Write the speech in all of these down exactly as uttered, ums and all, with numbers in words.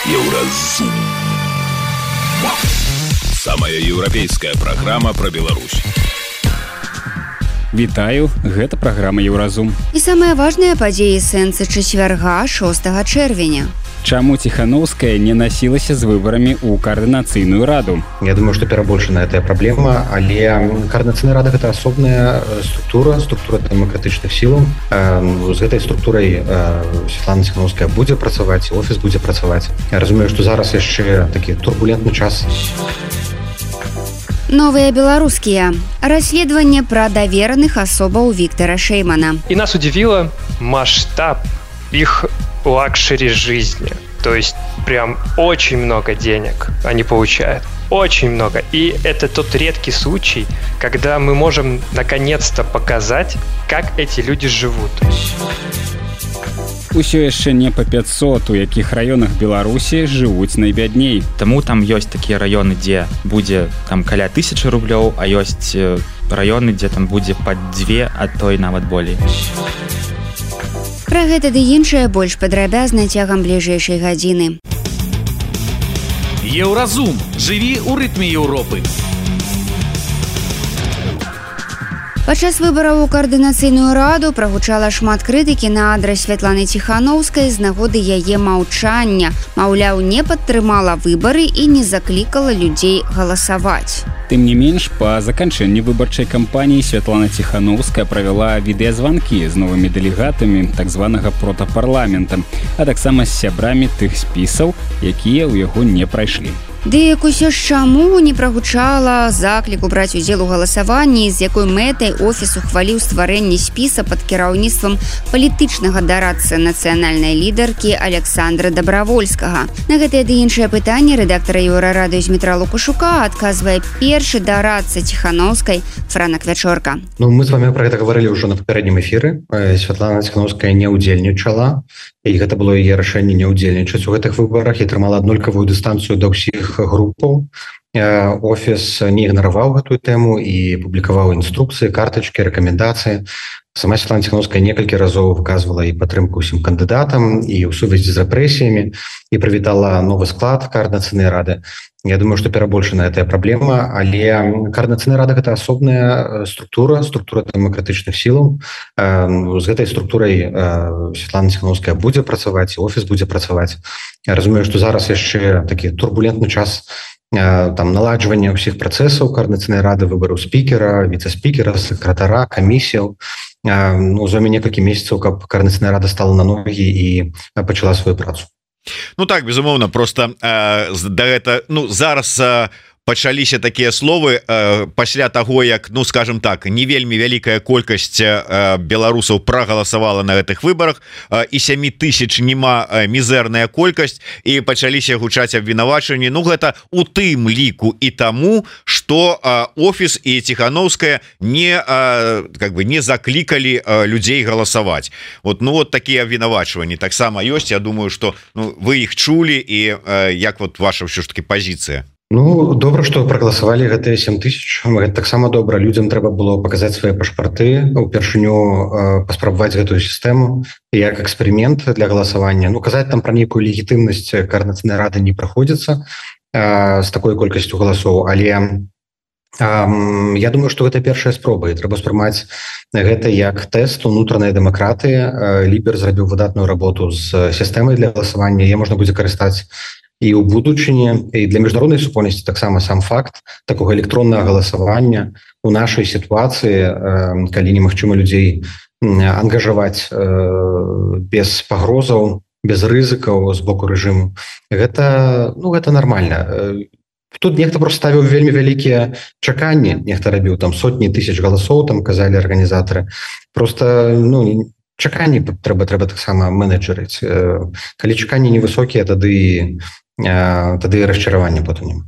Еўразум. Самая еўрапейская праграма пра Беларусь. Вітаю, гэта праграма Еўразум. І самыя важныя падзеі сэнсы чацвярга шостага чэрвеня. Чаму Тихановская не носілася з выбарамі ў координацыйную раду? Я думаю, что перабольшана эта праблема, але координацыйная рада гэта асобная структура, структура дэмакратычных сілаў. З гэтай структурай Светлана Тихановская будзе працаваць, офіс будзе працаваць. Я разумею, што зараз яшчэ такі турбулентны час. Новыя беларускія. Расследаванне пра давераных асобаў Віктора Шеймана. И нас удивило масштаб их лакшери жизни. То есть прям очень много денег они получают. Очень много. И это тот редкий случай, когда мы можем наконец-то показать, как эти люди живут. Усё яшчэ не па пятьсот, у якіх раёнах Беларусі жывуць найбядней. Таму там ёсць такія раёны, дзе будзе там каля тысячы рублёў, а ёсць раёны, дзе там будзе пад дзве, а то і нават болей. Пра гэта ды іншае больш падрабязна цягам бліжэйшай гадзіны. Еўразум. Жыві ў рытме Еўропы. Падчас выбараў у координацыйную раду прагучала шмат крытыкі на адрас Святланы Тихановскай з нагоды яе маўчання. Маўляў, не падтрымала выбары і не заклікала людзей галасаваць. Тым не менш, па заканчэнні выбарчай кампаніі Святлана Тихановская правяла відэазванкі з новымі дэлегатамі так званага протапарламента, а таксама з сябрамі тых спісаў, якія ў яго не прайшлі. Дык усё ж чаму не прагучала закліку браць удзел у галасаванні, з якой мэтай офіс ухваліў стварэнне спіса пад кіраўніцтвам палітычнага дарадцы нацыянальнай лідаркі Александра Добравольскага. На гэтае ды іншае пытанне рэдактара Еўрарадыё Змітра Лукашука адказвае першы дарадца Тихановскай Франак Вячорка. Ну, мы з вами пра гэта гаварылі ўжо на папярэднім эфіры. Святлана Тихановская не ўдзельнічала, і гэта было яе рашэнне не ўдзельнічаць у гэтых выбарах і трымала аднолькавую дыстанцыю да ўсіх групаў. Офіс не ігнараваў гэтую тэму і публікаваў інструкцыі, картачкі, рэкамендацыі. Сама Светлана Тихановская некалькі разоў выказвала і падтрымку ўсім кандыдатам і ў сувязі з рэпрэсіямі і прывітала новы склад координацыйнай рады. Я думаю, что перабольшана эта праблема, але координацыйная рада гэта асобная структура, структура дэмакратычных сілаў. З гэтай структурай Светлана Тихановская будзе працаваць, і офіс будзе працаваць. Я разумею, што зараз яшчэ такі турбулентны час там наладжвання ўсіх працэсаў координацыйнай рады, выбару спікера, віцэ-спікера, сакратара, камісіяў. Ну, зойме некалькі месяцаў, каб координацыйная рада стала на ногі і пачала сваю працу. Ну так, безумоўна, просто э, да гэта, ну, зараз э, пачаліся такія словы э, пасля таго, як, ну, скажем так, не вельмі вялікая колькасць э, беларусаў прагаласавала на гэтых выбарах, э, і сямі тысяч нема э, мізэрная колькасць, і пачаліся гучаць абвінавачванні. Ну, гэта у тым ліку і таму, што э, офіс і Тихановская не, э, как бы, не заклікалі э, людзей галасаваць. Вот, ну, вот такія абвінавачванні таксама ёсць. Я думаю, што, ну, вы іх чулі, і э, як вот ваша ўсё ж таки пазіцыя? Ну, добра, што прагаласавалі гэтыя сем тысяч. Гэта таксама добра. Людзям трэба было паказаць свае пашпарты, упершыню паспрабаваць гэтую сістэму як эксперымент для галасавання. Ну, казаць там пра нейкую легітымнасць координацыйнай рады не праходзіцца з такой колькасцю галасоў, але я думаю, што гэта першая спроба, і трэба спрымаць гэта як тэст унутранай дэмакратыі. Лібер зрабіў выдатную работу з сістэмай для галасавання, яе можна будзе карыстаць і ў будучыні, і для міжнароднай супольнасці таксама сам факт такога электроннага галасавання у нашай сітуацыі, калі немагчыма людзей ангажаваць без пагрозаў, без рызыкаў з боку рэжыму, гэта, ну, гэта нармальна. Тут нехта просто ставіў вельмі вялікія чаканні, нехта рабіў там сотні тысяч галасоў, там казалі арганізатары. Просто, ну, чаканні трэба трэба таксама менеджерыць. Калі чаканні невысокія, тады тады расчаравання потым няма.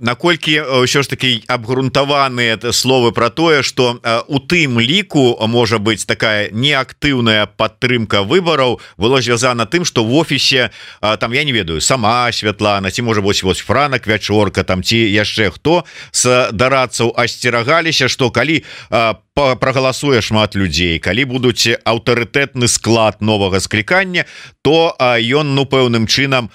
Наколькі ўсё ж таки абгрунтаваныя словы про тое, что у тым ліку можа быць такая неактыўная падтрымка выбараў было звязана тым, что в офісе там, я не ведаю, сама Святлана, ці можа быць вось Франак Вячорка там, ці яшчэ хто з дарадцаў асцерагаліся, что калі прагаласуе шмат людзей, калі будуць аўтарытэтны склад новага склікання, то ён ну пэўным чынам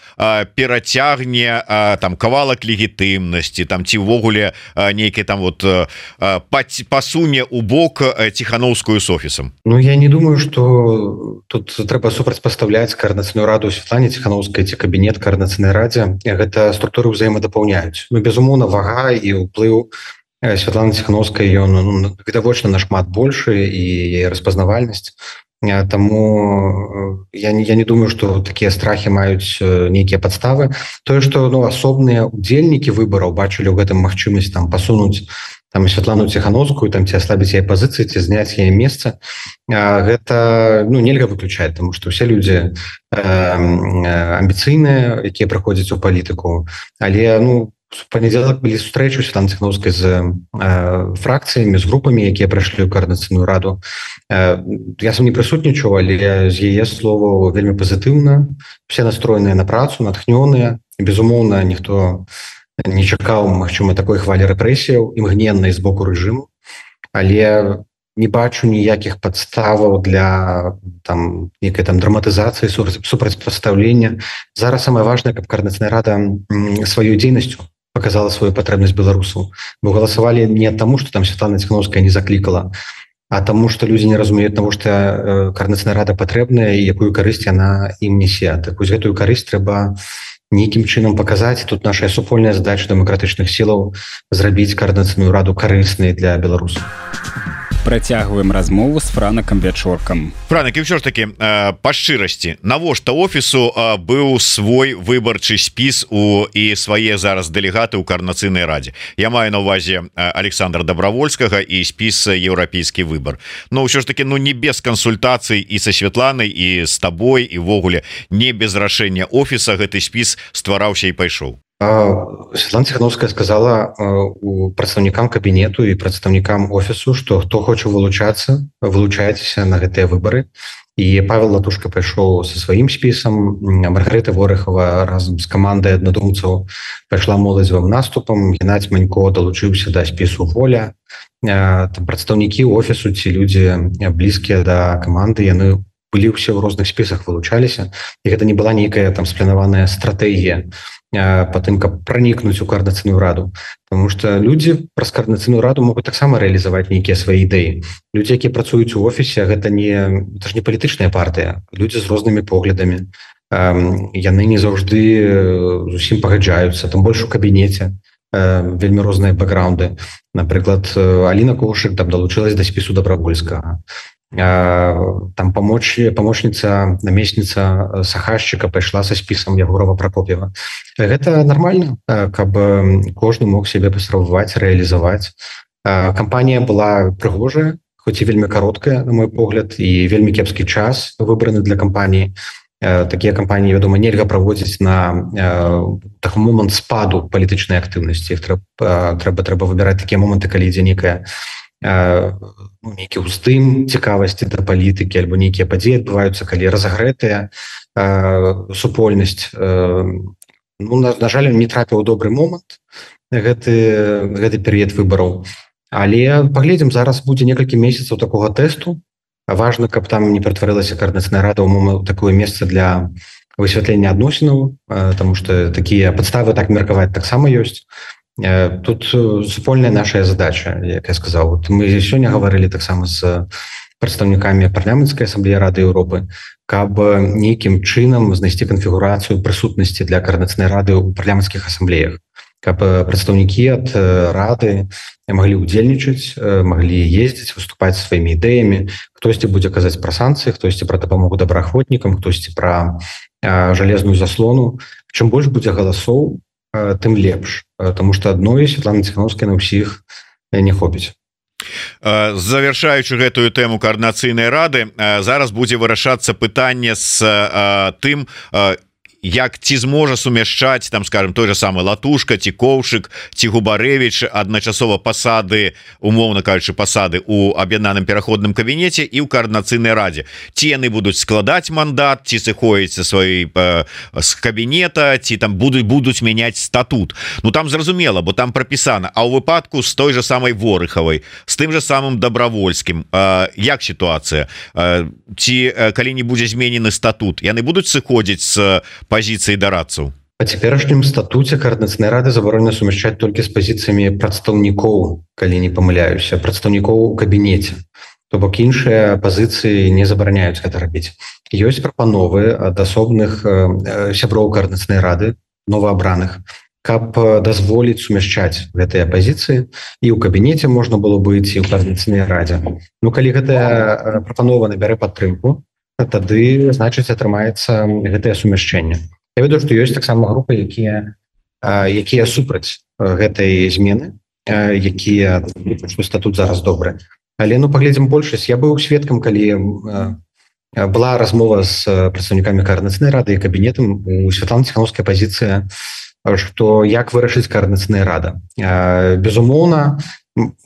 перацягне там кавалак легітымнасці там ці ўвогуле нейкі там вот пасуне у бок Ціхановскую с офісам. Ну я не думаю, что тут трэба супрацьпастаўляць коорднацыйную раду Светлане Ціхановскай ці кабінет коорднацыйнай радзе. Гэта структуры ўзаемадапаўняюць. Ну безумоўна вага і ўплыў Светланы Ціхановскай ён ну, відавочна нашмат большы і распазнавальнасць. Таму я не, я не думаю, што такія страхі маюць нейкія падставы. Тое, што ну, асобныя удзельнікі выбараў бачылі ў гэтым магчымасць там пасунуць там Светлану Ціхановскую, там ці аслабіць яе пазіцыі, ці зняць яе месца, гэта ну, нельга выключаць, таму што ўсе людзі амбіцыйныя, якія прыходзяць у палітыку, але ну в панядзелак былі сустрэчы Светланы Ціхановскай з э, фракцыямі, з групамі, якія прайшлі ў коорднацыйную раду. Э, я сам не прысутнічаў, але з яе словаў вельмі пазітыўна. Все настроеныя на працу, натхнёныя. Безумоўна, ніхто не чакаў, магчыма, такой хвалі рэпрэсіяў імгненнай з боку рэжыму, але не бачу ніякіх падставаў для там некай там драматызацыі, супрацьпастаўлення. Зараз самае важнае, каб коорднацыйная рада сваёй дзейнасцю показала свою патрэбнасць беларусаў. Бо галасавалі не таму, што там Светлана Ціхановская не заклікала, а таму, што людзі не разумеюць, навошта коорднацыйная рада патрэбная і якую карысць яна ім несе. Так вось гэтую карысць трэба нейкім чынам паказаць. Тут наша супольная задача дэмакратычных сілаў зрабіць коорднацыйную раду карыснай для беларусаў. Працягваем размову з Франакам Вячоркам. Франак, і ўсё ж такі па шчырасці, навошта офісу быў свой выбарчы спіс у і свае зараз дэлегаты ў коорднацыйнай радзе? Я маю на увазе Александра Добровольскага і спіс еўрапейскі выбар. Но ўсё ж такі ну не без кансультацый і са Светланай і з табой і ўвогуле не без рашэння офіса гэты спіс ствараўся і пайшоў. Светлана Ціхановская сказала у прадстаўнікам кабінету і прадстаўнікам офісу, што хто хоча вылучацца, вылучайцеся на гэтыя выбары. І Павел Латушка пайшоў са сваім спісам, Маргарыта Ворыхова разам з камандай аднадумцаў пайшла моладзевым наступам, Геннадзь Манько далучыўся да спісу Воля. Там прадстаўнікі офісу ці людзі блізкія да каманды, яны былі ўсе ў розных спісах, вылучаліся. І гэта не была нейкая там спланаваная стратэгія по тым, каб пранікнуць у коорднацыйную раду. Потому что людзі праз коорднацыйную раду могуць таксама рэалізаваць нейкія свае ідэі. Людзі, якія працуюць у офісе, гэта не, гэта ж не палітычная партыя. Людзі з рознымі поглядамі. Яны не заўжды зусім пагаджаюцца, там больш у кабінеце. Вельмі розныя бэкграунды. Напрыклад, Аліна Коўшык там далучылась да спісу Добровольскага. Там помоч, помощница, наместница Сахашчыка пайшла са спісам Ягорова Прокоп'ева. Гэта нормально, каб кожны мог себе паспрабаваць, рэалізаваць. Кампанія была прыгожая, хоць і вельмі кароткая, на мой погляд, і вельмі кепскі час выбраны для кампаніі. Такія кампаніі, вядома, нельга праводзіць на такі момант спаду палітычнай актыўнасці. Іх трэба, трэба, трэба выбіраць такія моманты, калі ідзе некая нейкі ўздым цікавасці да палітыкі альбо нейкія падзеі адбываюцца, калі разагрэтая супольнасць. Ну, на, на жаль, не трапіў у добры момант гэты, гэты перыяд выбараў. Але паглядзім, зараз будзе некалькі месяцаў такога тэсту. Важна, каб там не ператварылася коорднацыйная рада ў такое месца для высвятлення адносінаў, таму што такія падставы так меркаваць таксама ёсць. Тут супольная наша задача, як я сказаў. Мы сёння гаварылі таксама з прадстаўнікамі парламенцкай асамблеі Рады Еўропы, каб нейкім чынам знайсці канфігурацыю прысутнасці для коорднацыйнай рады ў парламенцкіх асамблеях, каб прадстаўнікі ад рады маглі ўдзельнічаць, маглі ездзіць, выступаць сваімі ідэямі. Хтосьці будзе казаць пра санкцыі, хтосьці пра дапамогу добраахвотнікам, хтосьці пра жалезную заслону. Чым больш будзе галасоў, тым лепш, тому што адной Светланы Ціхановскай на ўсіх не хопіць. Завяршаючы гэтую тэму коорднацыйнай рады, зараз будзе вырашацца пытанне з тым, як ці зможа сумяшчаць там скажем той же самый Латушка ці Коўшык ці Губарэвіч адначасова пасады умоўна кажучы пасады у аб'яднаным пераходным кабінеце і ў каардынацыйнай радзе ці яны будуць складаць мандат ці сыходзіць са сваёй з кабінета ці там будуць будуць мяняць статут Ну там зразумела бо там прапісана а ў выпадку з той же самой Ворыхавай з тым же самым Добравольскім як сітуацыя ці калі не будзе зменены статут яны будуць сыходзіць з пазіцыі дарадцаў Па цяперашнім статуце каардынацыйнай рады забаронена сумяшчаць толькі з пазіцыямі прадстаўнікоў калі не памыляюся прадстаўнікоў у кабінеце то бок іншыя пазіцыі не забараняюць гэта рабіць ёсць прапановы ад асобных сяброў каардынацыйнай рады новаабраных каб дазволіць сумяшчаць гэтыя пазіцыі і ў кабінеце можна было быць і ў каардынацыйнай радзе Ну калі гэтая прапанова набярэ падтрымку тады значыць атрымаецца гэтае сумяшчэнне Я ведаю што ёсць таксама групы якія якія супраць гэтай змены якія статут зараз добры але ну паглядзім большасць я быў сведкам калі была размова з прадстаўнікамі каардынацыйнай рады і кабінетам у Святланы Ціханаўскай пазіцыя што як вырашыць каардынацыйная рада безумоўна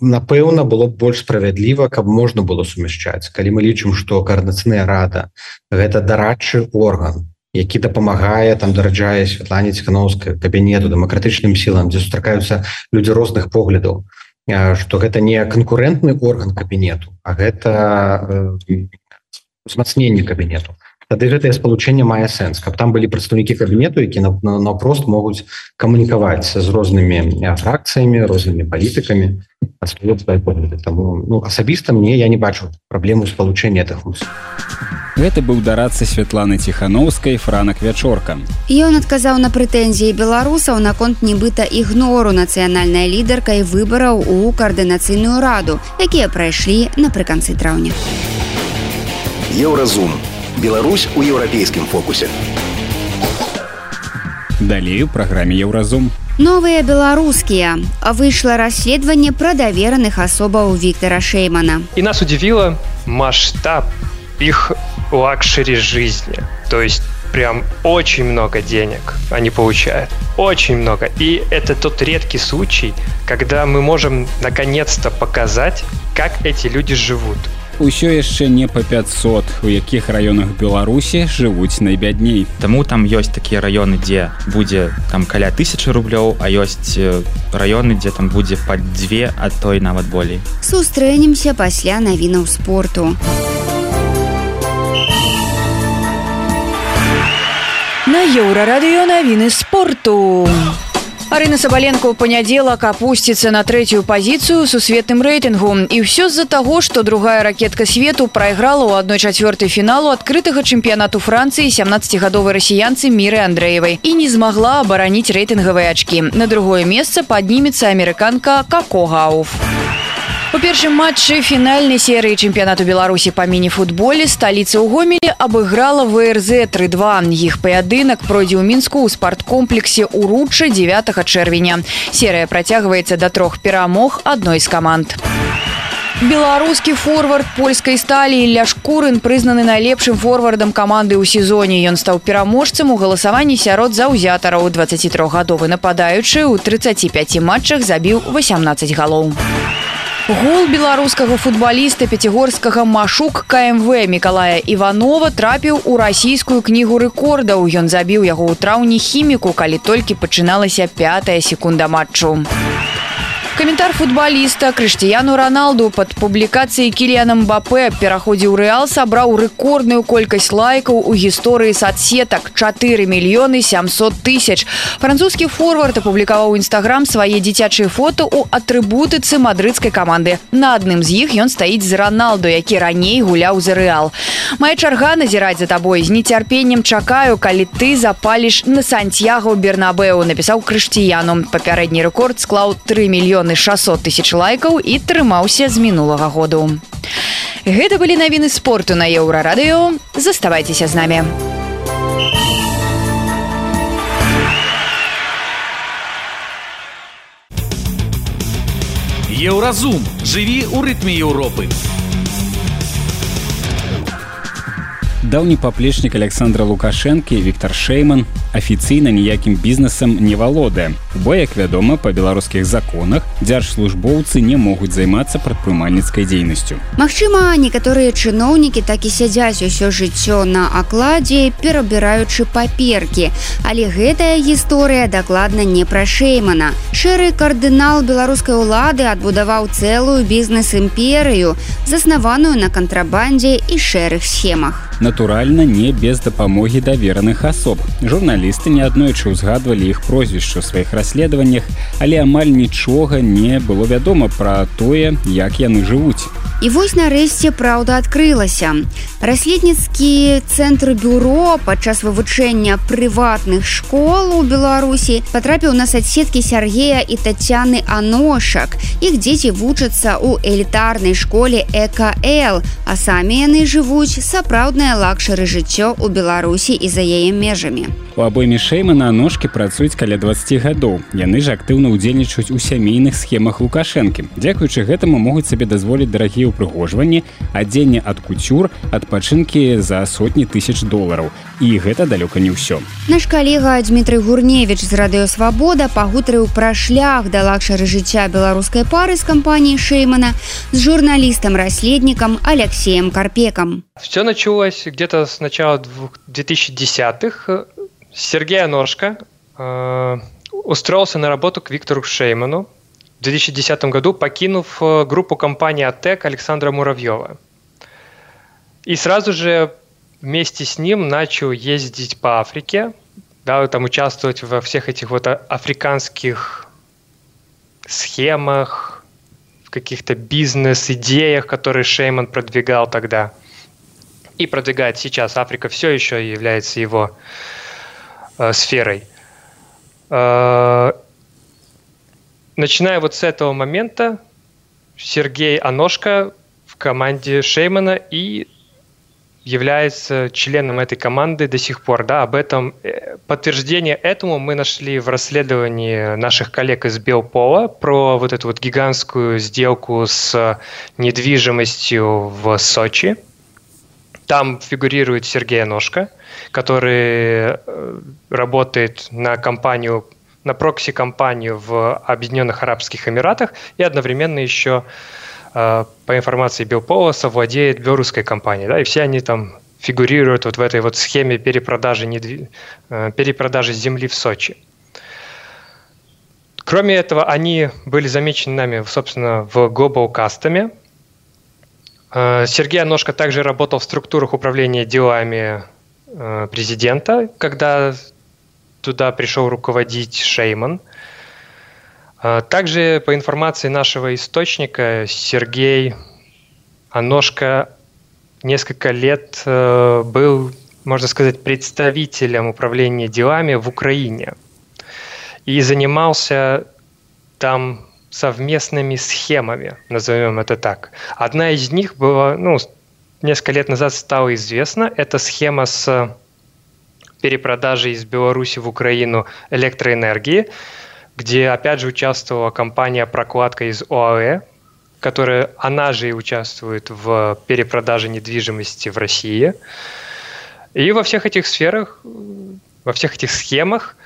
напэўна было б больш справядліва каб можна было сумяшчаць калі мы лічым што каардынацыйная рада гэта дарадчы орган які дапамагае там дараджае Святлане Ціханаўскай кабінету дэмакратычным сілам дзе сустракаюцца людзі розных поглядаў што гэта не канкурэнтны орган кабінету а гэта узмацненне кабінету тады гэтае спалучэнне мае сэнс каб там былі прадстаўнікі кабінету які наўпрост могуць камунікаваць з рознымі фракцыямі рознымі палітыкамі Таму ну, асабіста мне я не бачу праблему спалучэння гэтых вуз Гэта быў дарадца Святланы Ціханаўскай Франак Вячорка. Ён адказаў на прэтэнзіі беларусаў наконт нібыта ігнору нацыянальнай лідаркай выбараў у каардынацыйную раду, якія прайшлі напрыканцы траўня. Еўразум. Беларусь у еўрапейскім фокусе. Далей у праграме Еўразум. Новыя беларускія. Выйшло расследаванне пра давераных асобаў Віктора Шеймана. И нас удивило масштаб их лакшери жизни. То есть прям очень много денег они получают. Очень много. И это тот редкий случай, когда мы можем наконец-то показать, как эти люди живут. Усё яшчэ не па пятьсот, у якіх раёнах Беларусі жывуць найбядней. Таму там ёсць такія раёны, дзе будзе там каля тысячы рублёў, а ёсць раёны, дзе там будзе пад дзве, а то і нават болей. Сустрэнемся пасля навінаў спорту. На Еўрарадыё навіны спорту. Арына Сабаленко ў панядзелак апусціцца на трэцюю пазіцыю ў сусветным рэйтынгу. І ўсё з-за таго, што другая ракетка свету прайграла ў адной чацвёртай фіналу адкрытага чэмпіянату Францыі сямнаццацігадовай расіянцы Міры Андрэевай і не змагла абараніць рэйтынгавыя ачкі. На другое месца паднімецца амерыканка Коко Гауф. У першым матчы фінальнай серыі чэмпіянату Беларусі па міні-футболе сталіца ў Гомелі абыграла ВРЗ тры два. Іх паядынак пройдзе ў Мінску ў спарткомплексе «Уручча» дзевятага чэрвеня. Серыя працягваецца да трох перамог адной з каманд. Беларускі форвард польскай сталі Ілля Шкурын прызнаны найлепшым форвардам каманды ў сезоне. Ён стаў пераможцам у галасаванні сярод заўзятараў. дваццацітрохгадовы нападаючы ў трыццаці пяці матчах забіў васямнаццаць галоў. Гол беларускага футбаліста пяцігорскага «Машук» ка эм вэ Мікалая Іванова трапіў у расійскую кнігу рэкордаў. Ён забіў яго ў траўні «Хіміку», калі толькі пачыналася пятая секунда матчу. Каментар футбаліста Крыштыяну Роналду пад публікацыяй Кіліяна Мбапэ пераходзе ў Рэал сабраў рэкордную колькасць лайкаў у гісторыі соцсетак – чатыры мільёны сямсот тысяч. Французскі форвард апублікаваў у Інстаграм свае дзіцячыя фота ў атрыбутыцы мадрыдскай каманды. На адным з іх ён стаіць з Роналду, які раней гуляў за Рэал. «Мая чарга назіраць за табой. З нецярпеннем чакаю, калі ты запаліш на Сантьяго Бернабеу», напісаў Крыштыяну. Папярэдні рэкорд склаў тры мільёны шасот тысяч лайкаў і трымаўся з мінулага году. Гэта былі навіны спорту на Еўрарадыё. Заставайцеся з намі. Еўразум. Жыві ў рытме Еўропы. Даўні паплечнік Александра Лукашэнкі Віктор Шэйман афіцыйна ніякім бізнесам не валодае. Бо, як вядома, па беларускіх законах дзяржслужбоўцы не могуць займацца прадпрымальніцкай дзейнасцю. Магчыма, некаторыя чыноўнікі так і сядзяць усё жыццё на акладзе, перабіраючы паперкі. Але гэтая гісторыя дакладна не пра Шэймана. Шэры кардынал беларускай улады адбудаваў цэлую бізнес-імперыю, заснаваную на кантрабандзе і шэрых схемах. Натуральна, не без дапамогі давераных асоб. Журналісты неаднойчы ўзгадвалі іх прозвішча ў сваіх расследаваннях, але амаль нічога не было вядома пра тое, як яны жывуць. І вось нарэшце праўда адкрылася. Расследніцкі цэнтр бюро падчас вывучэння прыватных школ у Беларусі патрапіў на соцсеткі Сергея і Тацяны Аношак. Іх дзеці вучацца ў элітарнай школе ЭКЛ, а самі яны жывуць сапраўднае лакшары жыццё ў Беларусі і за яе межамі. У абойме Шэймана Аношкі працуюць каля дваццаці гадоў. Яны ж актыўна ўдзельнічаюць у сямейных схемах Лукашэнкі. Дзякуючы гэтаму могуць сабе дазволіць дарагія ўпрыгожванні, адзенне ад куцюр, адпачынкі за сотні тысяч долараў. І гэта далёка не ўсё. Наш калега Дмітрый Гурневіч з радыёсвабода пагутарыў пра шлях да лакшары жыцця беларускай пары з кампаніяй Шэймана з журналістам-расследнікам Алексеем Карпеком. Все началось где-то с начала двухтысячных. Сергей Аношка э, устроился на работу к Виктору Шейману в две тысячи десятом году, покинув группу компании АТЭК Александра Муравьева. И сразу же вместе с ним начал ездить по Африке, да, там участвовать во всех этих вот африканских схемах, в каких-то бизнес-идеях, которые Шейман продвигал тогда и продвигает сейчас. Африка все еще является его э, сферой. Э, начиная вот с этого момента, Сергей Аношка в команде Шеймана и является членом этой команды до сих пор. Да, об этом подтверждение этому мы нашли в расследовании наших коллег из Белпола про вот эту вот гигантскую сделку с недвижимостью в Сочи. Там фигурирует Сергей Аношка, который работает на компанию, на прокси-компанию в Объединенных Арабских Эмиратах и одновременно еще, по информации Белпола, совладеет белорусской компанией. Да, и все они там фигурируют вот в этой вот схеме перепродажи, недвиж... перепродажи земли в Сочи. Кроме этого, они были замечены нами, собственно, в Global Custom. Сергей Аношка также работал в структурах управления делами президента, когда туда пришел руководить Шейман. Также, по информации нашего источника, Сергей Аношка несколько лет был, можно сказать, представителем управления делами в Украине и занимался там совместными схемами, назовем это так. Одна из них была, ну, несколько лет назад стала известна. Это схема с перепродажей из Беларуси в Украину электроэнергии, где, опять же, участвовала компания «Прокладка» из ОАЭ, которая, она же и участвует в перепродаже недвижимости в России. И во всех этих сферах, во всех этих схемах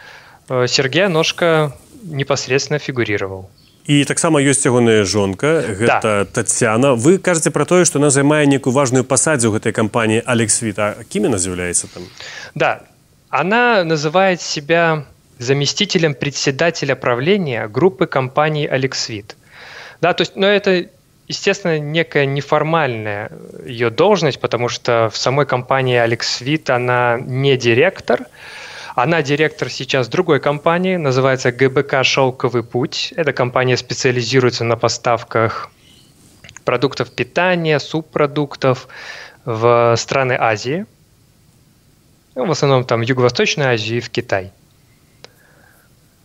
Сергей Аношка непосредственно фигурировал. І таксама ёсць ягоная жонка, гэта да. Тацяна. Вы кажаце пра тое, што она займае некую важную пасадзю ў гэтай кампаніі Алексвит. А кім яна з'яўляецца там? Да, она называет себя заместителем председателя правления группы компаний Алексвит. Да, то есть, но это, естественно, некая неформальная ее должность, потому что в самой компании Алексвит она не директор. Она директор сейчас другой компании, называется ГБК «Шелковый путь». Эта компания специализируется на поставках продуктов питания, субпродуктов в страны Азии. Ну, в основном там в Юго-Восточной Азии и в Китай.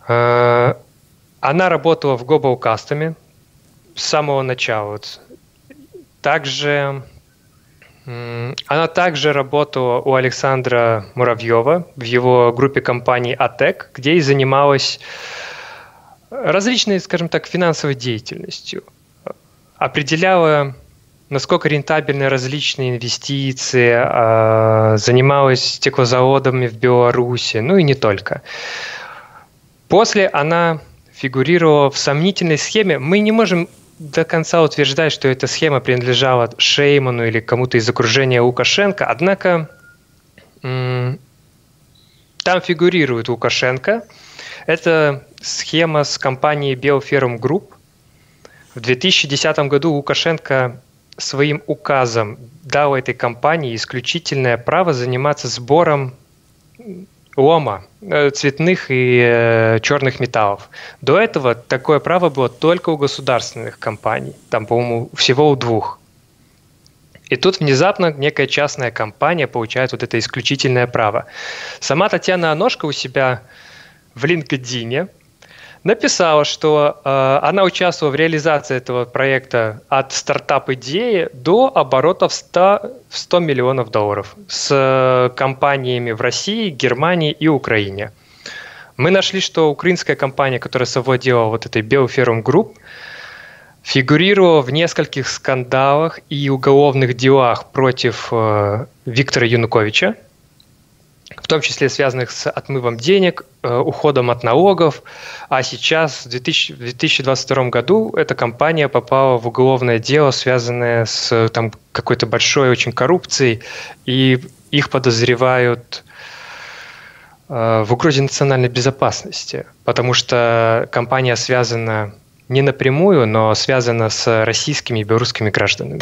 Она работала в Global Custom с самого начала. Также... Она также работала у Александра Муравьева в его группе компаний АТЭК, где и занималась различной, скажем так, финансовой деятельностью. Определяла насколько рентабельны различные инвестиции, занималась стеклозаводами в Беларуси, ну и не только. После она фигурировала в сомнительной схеме. Мы не можем до конца утверждать, что эта схема принадлежала Шейману или кому-то из окружения Лукашенко, однако м- там фигурирует Лукашенко. Это схема с компанией Белферм Групп. В две тысячи десятом году Лукашенко своим указом дал этой компании исключительное право заниматься сбором лома, цветных и э, черных металлов. До этого такое право было только у государственных компаний, там, по-моему, всего у двух. И тут внезапно некая частная компания получает вот это исключительное право. Сама Татьяна Аношко у себя в LinkedIn написала, что э, она участвовала в реализации этого проекта от стартап-идеи до оборотов сто, сто миллионов долларов с э, компаниями в России, Германии и Украине. Мы нашли, что украинская компания, которая совладела вот этой Белферм Групп, фигурировала в нескольких скандалах и уголовных делах против э, Виктора Януковича, в том числе связанных с отмывом денег, уходом от налогов. А сейчас, в две тысячи двадцать втором году, эта компания попала в уголовное дело, связанное с там, какой-то большой очень коррупцией, и их подозревают э, в угрозе национальной безопасности, потому что компания связана не напрямую, но связана с российскими и белорусскими гражданами.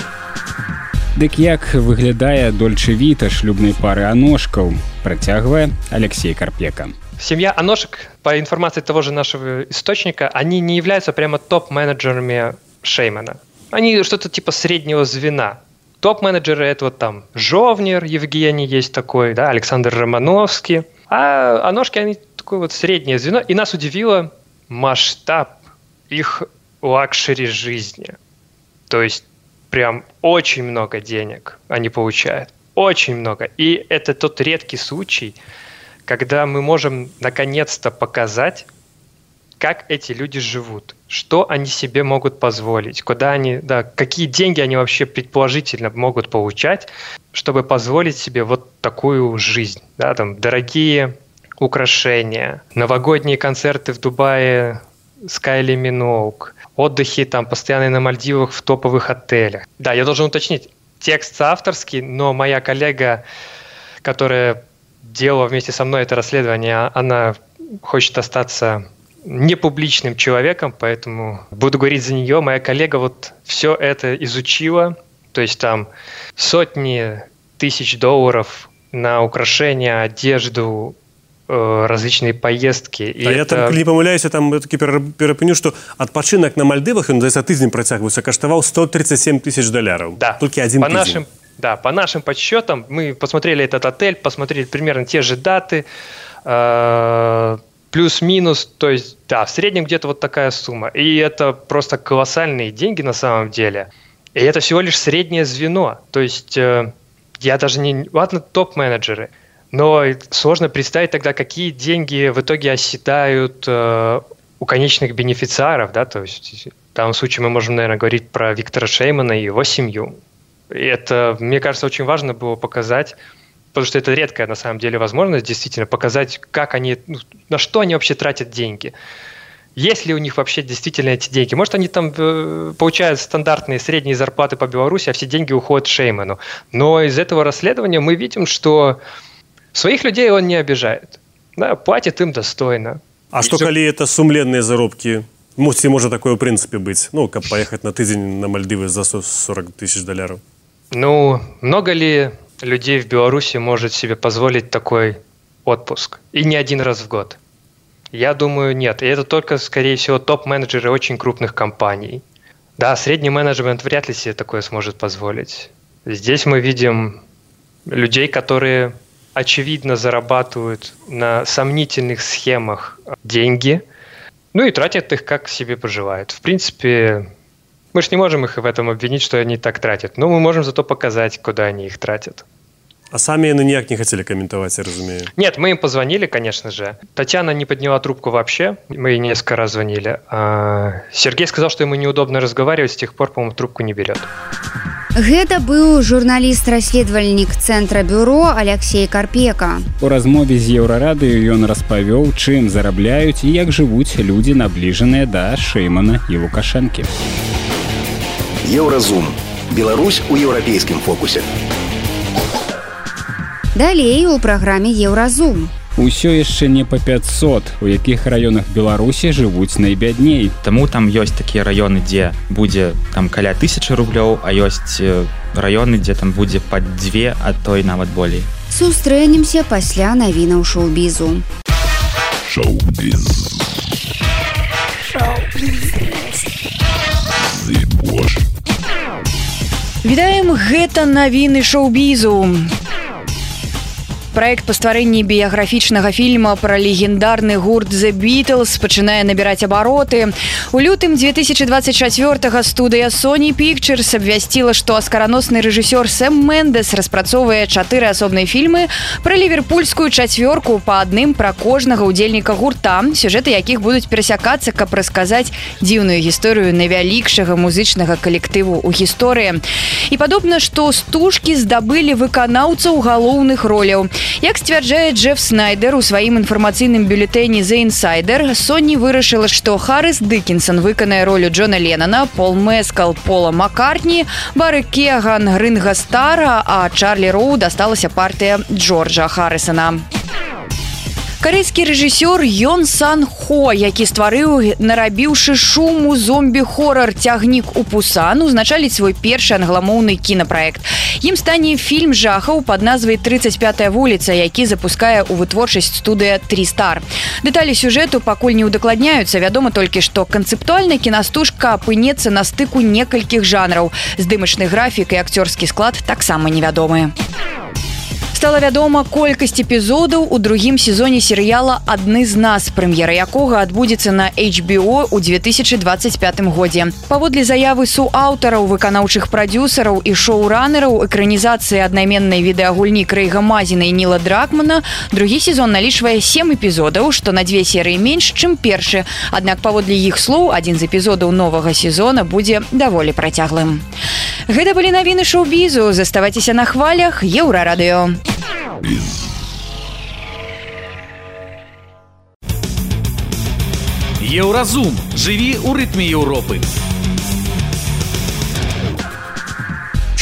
Дык як выглядае дольчэ-віта шлюбнай пары Аношкаў, працягвае Алексей Карпека. Семья Аношек, по информации того же нашего источника, они не являются прямо топ-менеджерами Шеймана. Они что-то типа среднего звена. Топ-менеджеры — это вот там Жовнер, Евгений есть такой, да, Александр Романовский. А Аношки, они такое вот среднее звено. И нас удивило масштаб их лакшери жизни. То есть прям очень много денег они получают. Очень много. И это тот редкий случай, когда мы можем наконец-то показать, как эти люди живут, что они себе могут позволить, куда они, да, какие деньги они вообще предположительно могут получать, чтобы позволить себе вот такую жизнь. Да, там дорогие украшения, новогодние концерты в Дубае с Кайли Миноуг, отдыхи там постоянные на Мальдивах в топовых отелях. Да, я должен уточнить, текст авторский, но моя коллега, которая делала вместе со мной это расследование, она хочет остаться непубличным человеком, поэтому буду говорить за нее. Моя коллега вот все это изучила, то есть там сотни тысяч долларов на украшения, одежду, различные поездки. А я это... там не помыляюсь, я там таки перапыню, что отпочинок на Мальдивах, он за тыдзень працягваўся, каштаваў сто тридцать семь тысяч долларов. Да. Только один по тыдзень. Нашим, да, по нашим подсчетам, мы посмотрели этот отель, посмотрели примерно те же даты, э, плюс-минус, то есть, да, в среднем где-то вот такая сумма. И это просто колоссальные деньги на самом деле. И это всего лишь среднее звено. То есть, э, я даже не... Ладно, топ-менеджеры. Но сложно представить тогда, какие деньги в итоге оседают э, у конечных бенефициаров, да, то есть в данном случае мы можем, наверное, говорить про Виктора Шеймана и его семью. И это, мне кажется, очень важно было показать, потому что это редкая на самом деле возможность действительно показать, как они, ну, на что они вообще тратят деньги. Есть ли у них вообще действительно эти деньги? Может, они там э, получают стандартные средние зарплаты по Беларуси, а все деньги уходят Шейману. Но из этого расследования мы видим, что своих людей он не обижает. Да, платит им достойно. А что, коли это сумленные заработки? Ці може такое в принципе быть? Ну, как поехать на тыдзень на Мальдивы за сорок тысяч долларов. Ну, много ли людей в Беларуси может себе позволить такой отпуск? И не один раз в год? Я думаю, нет. И это только, скорее всего, топ-менеджеры очень крупных компаний. Да, средний менеджмент вряд ли себе такое сможет позволить. Здесь мы видим людей, которые очевидно зарабатывают на сомнительных схемах деньги, ну и тратят их, как себе пожелают. В принципе, мы же не можем их в этом обвинить, что они так тратят, но мы можем зато показать, куда они их тратят. А сами они никак не хотели комментовать, я разумею. Нет, мы им позвонили, конечно же. Татьяна не подняла трубку вообще. Мы ей несколько раз звонили. А Сергей сказал, что ему неудобно разговаривать, с тех пор, по-моему, трубку не берет. Гэта быў журналіст-расследавальнік цэнтра бюро Алексей Карпека. У размове з Еўрарадыё ён распавёў, чым зарабляюць і як жывуць людзі, набліжаныя да Шэймана і Лукашэнкі. Еўразум. Беларусь у еўрапейскім фокусе. Далей у праграме Еўразум. Усё яшчэ не па пятьсот, у якіх раёнах Беларусі жывуць найбядней. Таму там ёсць такія раёны, дзе будзе там каля тысячы рублёў, а ёсць раёны, дзе там будзе пад дзве, а то і нават болей. Сустрэнемся пасля навінаў шоу-бізу. Шоу-біз. Шоу-біз. Вітаем, гэта навіны шоу-бізу. Проект па стварэнні біяграфічнага фільма пра легендарны гурт The Beatles пачынае набіраць абароты. У лютым две тысячи двадцать чацвёртага студыя Sony Pictures абвясціла, што аскараносны рэжысёр Сэм Мендес распрацоўвае чатыры асобныя фільмы пра ліверпульскую чацвёрку, па адным пра кожнага ўдзельніка гурта, сюжэты якіх будуць перасякацца, каб расказаць дзіўную гісторыю найвялікшага музычнага калектыву ў гісторыі. І падобна, што стужкі здабылі выканаўцаў галоўных роляў. Як сцвярджае Джеф Снайдер у сваім інфармацыйным бюлетэні The Insider, Sony вырашыла, што Харрис Диккенсон выканае ролю Джона Леннона, Пол Мэскал Пола Маккартні, Бары Кеган Ринга Стара, а Чарлі Роу дасталася партыя Джорджа Харрисона. Карэйскі рэжысёр Ён Сан Хо, які стварыў, нарабіўшы шуму зомбі-хорар «Цягнік у Пусан», узначаліць свой першы англамоўны кінапраект. Ім стане фільм жахаў пад назвай «тридцать пятая вуліца», які запускае ў вытворчасць студыя «Три Стар». Дэталі сюжэту пакуль не ўдакладняюцца, вядома толькі, што канцэптуальна кінастужка апынецца на стыку некалькіх жанраў. Здымачны графік і акцёрскі склад таксама невядомыя. Стала вядома колькасць эпізодаў у другім сезоне серыяла «Адны з нас», прэм'ера якога адбудзецца на эйч би о ў две тысячи двадцать пятым годзе. Паводле заявы суаўтараў, выканаўчых прадзюсараў і шоуранераў экранізацыі аднайменнай відэагульні Крэйга Мазіна і Ніла Дракмана, другі сезон налічвае сем эпізодаў, што на дзве серыі менш, чым першы. Аднак паводле іх слоў, адзін з эпізодаў новага сезона будзе даволі працяглым. Гэта былі навіны шоу-бізу. Заставайцеся на хвалях Еўрарадыё. Еўразум. Жыві ў рытме Еўропы.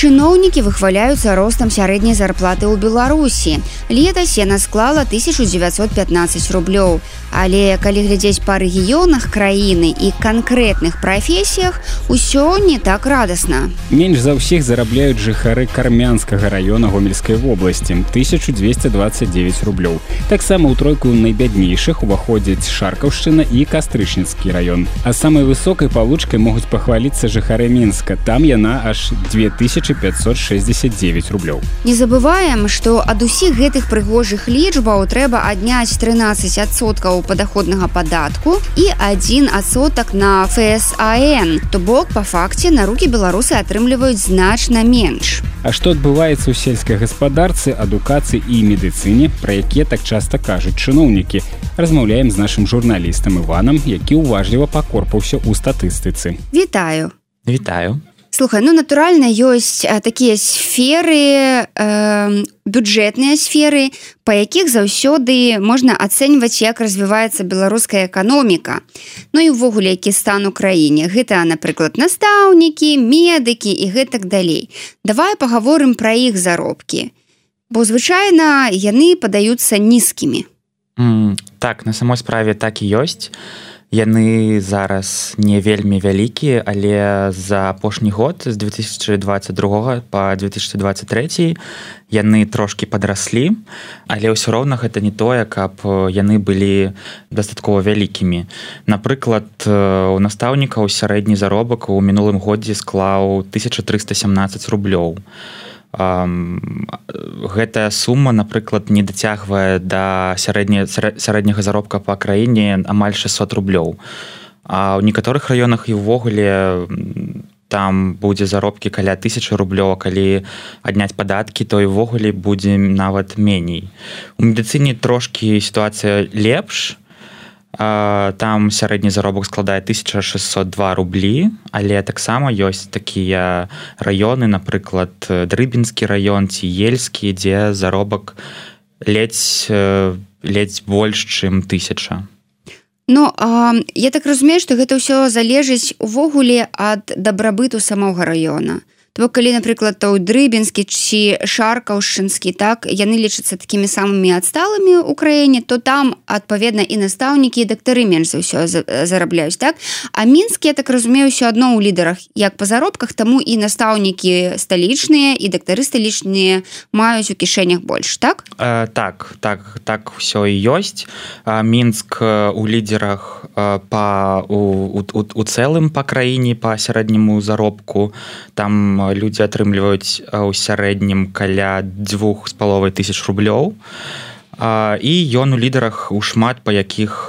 Чыноўнікі выхваляюцца ростам сярэдняй зарплаты ў Беларусі. Летась яна склала тысячу дзевяцьсот пятнадцаць рублёў. Але калі глядзець па рэгіёнах краіны і канкрэтных прафесіях, усё не так радасна. Менш за ўсіх зарабляюць жыхары Кармянскага раёна Гомельскай вобласці – тысяча двести двадцать девять рублёў. Таксама ў тройку найбяднейшых уваходзяць Шаркаўшчына і Кастрычніцкі раён. А самай высокай павлучкай могуць пахваліцца жыхары Мінска. Там яна аж две тысячи пятьсот шестьдесят девять рублёў. Не забываем, што ад усіх гэтых прыгожых лічбаў трэба адняць трынаццаць адсоткаў падаходнага падатку і адзін адсотак на эф эс а эн, то бок па факце на рукі беларусы атрымліваюць значна менш. А што адбываецца ў сельскай гаспадарцы, адукацыі і медыцыне, пра якія так часта кажуць чыноўнікі? Размаўляем з нашым журналістам Іванам, які ўважліва пакорпаўся ў статыстыцы. Вітаю. Вітаю. Слухай, ну натуральна ёсць а, такія сферы, э, бюджэтныя сферы, па якіх заўсёды можна ацэньваць, як развіваецца беларуская эканоміка. Ну і ўвогуле, які стан у краіне. Гэта, напрыклад, настаўнікі, медыкі і гэтак далей. Давай пагаворым пра іх заробкі. Бо звычайна яны падаюцца нізкімі. Mm, так, на самой справе так і ёсць. Яны зараз не вельмі вялікія, але за апошні год з две тысячи двадцать другога па две тысячи двадцать трэці яны трошкі падраслі, але ўсё роўна гэта не тое, каб яны былі дастаткова вялікімі. Напрыклад, у настаўнікаў сярэдні заробак у мінулым годзе склаў тысяча трыста сямнадцаць рублёў. Um, гэтая сума, напрыклад, не дацягвае да сярэдня, сярэдняга заробка па краіне амаль шестьсот рублёў. А ў некаторых раёнах і ўвогуле там будзе заробкі каля тысячы рублёў, калі адняць падаткі, то і ўвогуле будзе нават меней. У медыцыне трошкі сітуацыя лепш, там сярэдні заробак складае тысяча шэсцьсот два рублі, але таксама ёсць такія раёны, напрыклад, Дрыбінскі раён ці Ельскі, дзе заробак ледзь, ледзь больш, чым тысяча. Ну, а, я так разумею, што гэта ўсё залежыць увогуле ад дабрабыту самога раёна. То калі, напрыклад, той Дрыбінскі ці Шаркаўшчынскі, так, яны лічацца такімі самымі адсталымі ў краіне, то там, адпаведна, і настаўнікі, і дактары менш за ўсё зарабляюць, так? А Мінск, я так разумею, ўсё адно ў лідарах, як па заробках, таму і настаўнікі сталічныя, і дактары сталічныя маюць у кішэнях больш, так? Э, так, так, так ўсё і ёсць. Мінск у лідарах па, у, у, у цэлым па краіне, па сярэдняму заробку, там людзі атрымліваюць у сярэднім каля дзвюх з паловай тысяч рублёў, і ён у лідарах у шмат па якіх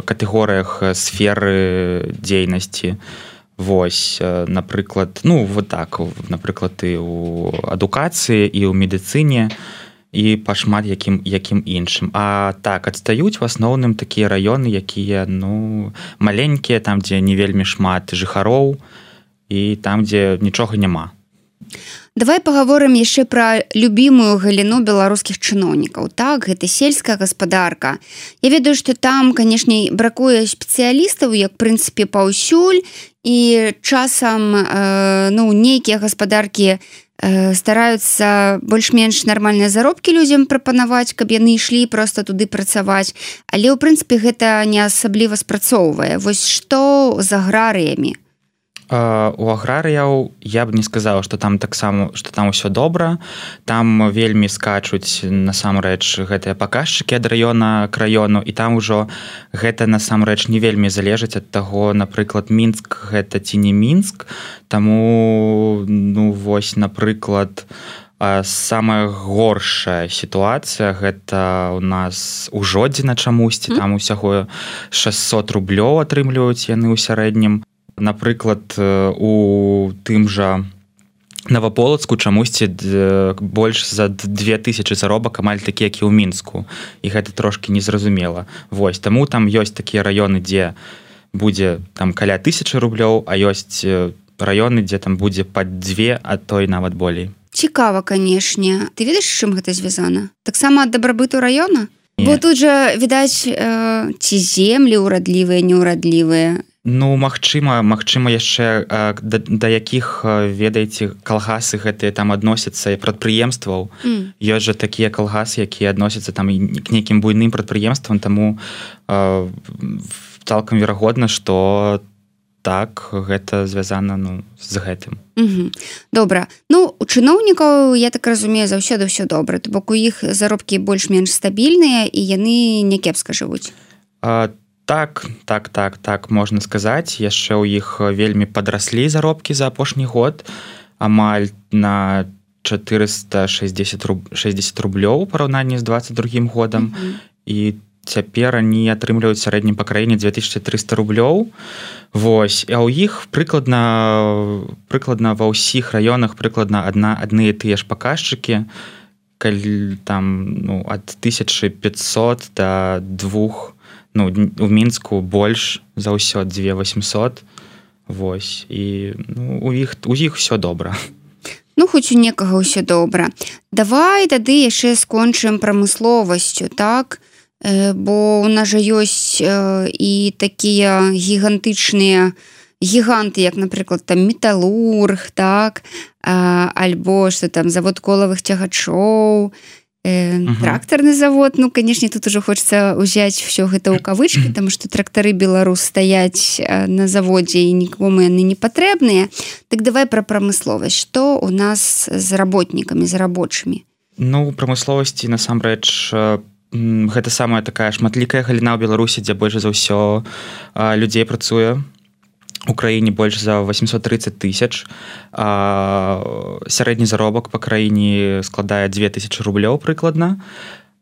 катэгорыях сферы дзейнасці. Вось, напрыклад, ну вот так, напрыклад, і ў адукацыі, і ў медыцыне, і па шмат якім, якім іншым. А так, адстаюць в асноўным такія раёны, якія, ну, маленькія, там, дзе не вельмі шмат жыхароў, і там, дзе нічога няма. Давай паговорым яшчэ пра любімую галіну беларускіх чыноўнікаў. Так, гэта сельская гаспадарка. Я ведаю, што там, канешне, бракуе спецыялістаў, як, в прынцыпе, паўсюль, і часам, э, ну, нейкія гаспадаркі э, стараюцца больш-менш нармальныя заробкі людзям прапанаваць, каб яны ішлі проста туды працаваць. Але, ў прынцыпе, гэта не асабліва спрацоўвае. Вось што з аграрыямі? У аграрыяў я б не сказала, што там таксама, што там усё добра. Там вельмі скачуць насамрэч гэтыя паказчыкі ад раёна к раёну, і там ужо гэта насамрэч не вельмі залежыць ад таго, напрыклад, Мінск гэта ці не Мінск. Таму, ну вось, напрыклад, самая горшая сітуацыя гэта у нас у Жодзіна чамусьці, там усяго шэсцьсот рублёў атрымліваюць яны ў сярэднім. Напрыклад, у тым жа Наваполацку чамусьці больш за две тысячы заробак амаль такі, як і ў Мінску. І гэта трошкі незразумела. Вось, таму там ёсць такія раёны, дзе будзе там каля тысячы рублёў, а ёсць раёны, дзе там будзе пад дзве, а то і нават болей. Цікава, канешне. Ты ведаеш, з чым гэта звязана? Таксама ад дабрабыту раёна? Бо тут жа, відаць, э, ці землі ўрадлівыя, неўрадлівыя. Ну, магчыма, магчыма яшчэ да, да якіх, ведаеце, калгасы гэтыя там адносяцца і прадпрыемстваў. Mm. Ёсць жа такія калгасы, якія адносяцца там к нейкім буйным прадпрыемствам, таму э, цалкам верагодна, што так, гэта звязана, ну, з гэтым. Mm-hmm. Добра. Ну, у чыноўнікаў, я так разумею, заўсёды ўсё добра. То бок у іх заробкі больш-менш стабільныя, і яны не кепска жывуць. А, Так, так, так, так, можна сказаць. Яшчэ ў іх вельмі падраслі заробкі за апошні год, амаль на чатырыста шэсцьдзесят рублёў у параўнанні з дваццаць другім годам. Mm-hmm. І цяпер они атрымліваюць сярэднім па краіне две тысячи триста рублёў. Вось, а ў іх прыкладна, прыкладна ва ўсіх раёнах прыкладна адна, адны і тыя ж паказчыкі, калі там, ну, ад тысячы пятьсот да двух. Ну, у Мінску больш за ўсё дзве васьмсот. Вось, і ну, у іх у іх усё добра. Ну, хоць у некага ўсё добра. Давай тады яшчэ скончым прамысловасцю, так? Э, бо у нас жа ёсць э, і такія гігантычныя гіганты, як, напрыклад, там металург, так? А, альбо што там завод колавых цягачоў, Э, uh-huh. трактарны завод. Ну, канешне, тут ужо хочацца ўзяць ўсё гэта ў кавычкі, таму што трактары Беларусь стаяць на заводзе і нікому яны не патрэбныя. Так давай пра прамысловасць. Што у нас з работнікамі, з рабочымі? Ну, у прамысловасці насамрэч гэта самая такая шматлікая галіна ў Беларусі, дзе больш за ўсё людзей працуе. У краіне больш за восемьсот тридцать тысяч, а сярэдні заробак па краіне складае две тысячи рублёў прыкладна,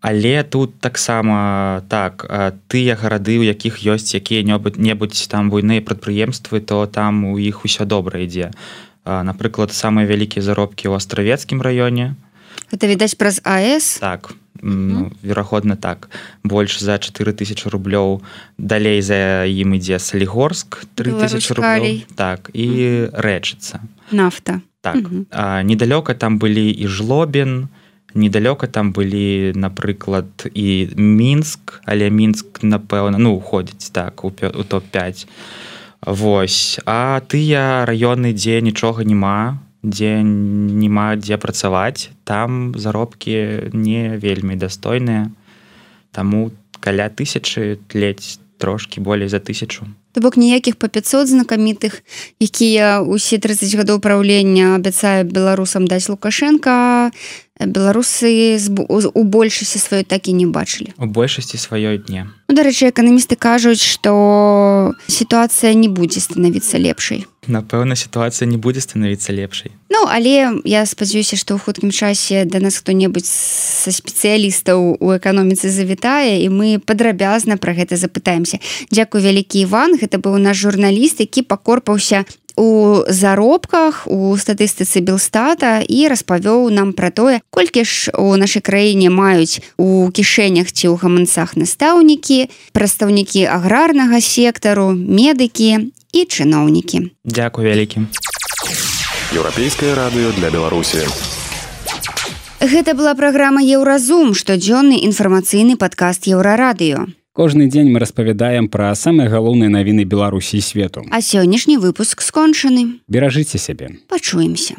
Але тут таксама так тыя гарады, у якіх ёсць якія-небудзь там буйныя прадпрыемствы, то там у іх усё добра ідзе. Напрыклад, самыя вялікія заробкі ў астравецкім раёне. Гэта відаць праз АЭС? Так, ну, верагодна так. Больш за чатыры тысячы рублёў. Далей за ім ідзе Салігорск, тры тысячы рублёў. Так, і Рэчыца. Нафта. Так. А, недалёка там былі і Жлобін, недалёка там былі, напрыклад, і Мінск, але Мінск, напэўна, ну, уходзіць так у топ пяць. Вось. А тыя раёны, дзе нічога няма, дзе няма дзе працаваць, там заробкі не вельмі дастойныя. Таму каля тысячы, ледзь трошкі болей за тысячу. То бок ніякіх па пяцьсот знакамітых, якія ўсе трыццаць гадоў праўлення абяцае беларусам даць Лукашенка, беларусы у большасці сваёй так і не бачылі. У большасці сваёй не. Ну, дарэчы, эканамісты кажуць, што сітуацыя не будзе станавіцца лепшай. Напэўна, сітуацыя не будзе станавіцца лепшай. Ну, але я спадзяюся, што ў хуткім часе да нас хто-небудзь са спецыялістаў у эканоміцы завітае, і мы падрабязна пра гэта запытаемся. Дзякуй вялікі, Іван. Гэта быў наш журналіст, які пакорпаўся у заробках у статыстыцы Белстата і распавёў нам пра тое, колькі ж у нашай краіне маюць у кішэнях ці ў гаманцах настаўнікі, прадстаўнікі аграрнага сектару, медыкі і чыноўнікі. Дзякуй вялікі. Еўрапейскае радыё для Беларусі. Гэта была праграма «Еўразум», штодзённы інфармацыйны падкаст Еўрарадыё. Кожны дзень мы распавядаем пра самыя галоўныя навіны Беларусі і свету. А сённяшні выпуск скончаны. Беражыце сябе. Пачуемся.